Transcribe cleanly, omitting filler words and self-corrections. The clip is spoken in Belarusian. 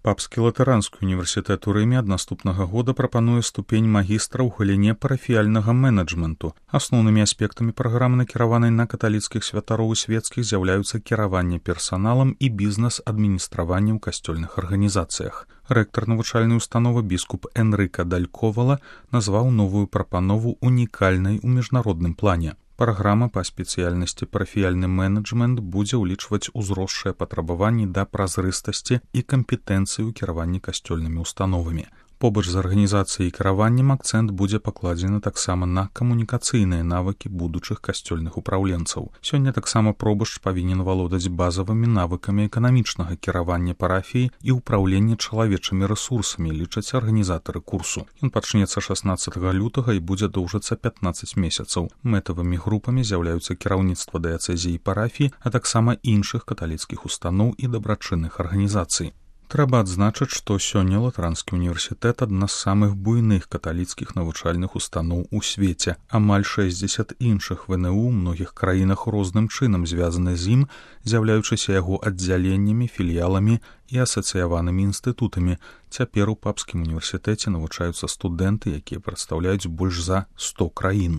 Папскі латэранскі універсітэт у Рыме ад наступнага года прапануе ступень магістра ў галіне парафіяльнага менеджменту. Асноўнымі аспектамі праграмы, накіраванай на каталіцкіх святароў і свецкіх, з'яўляюцца кіраванне персаналам і бізнес-адміністраванне ў касцёльных арганізацыях. Рэктар навучальнай установы біскуп Энрыка Далькова назваў новую прапанову унікальнай у міжнародным плане. Праграма па спецыяльнасці парафіяльны менеджмент будзе ўлічваць узросшыя патрабаванні да празрыстасці і кампетэнцыі ў кіраванні касцёльнымі установамі. Побач з арганізацыяй і кіраваннем акцэнт будзе пакладзены таксама на камунікацыйныя навыкі будучых касцёльных упраўленцаў. Сёння таксама пробашч павінен валодаць базавымі навыкамі эканамічнага кіравання парафіі і ўпраўлення чалавечымі рэсурсамі, лічаць арганізатары курсу. Ён пачнецца 16 лютага і будзе доўжыцца 15 месяцаў. Мэтавымі групамі з'яўляюцца кіраўніцтва дыяцэзіі і парафіі, а таксама іншых каталіцкіх устаноў і дабрачынных арганізацый. Трэба адзначыць, што сёння Латэранскі універсітэт адна з самых буйных каталіцкіх навучальных устаноў у свеце. Амаль 60 іншых ВНУ ў многіх краінах розным чынам звязаны з ім, з'яўляючыся яго аддзяленнямі, філіяламі і асацыяванымі інстытутамі. Цяпер у Папскім універсітэце навучаюцца студэнты, якія прадстаўляюць больш за 100 краін.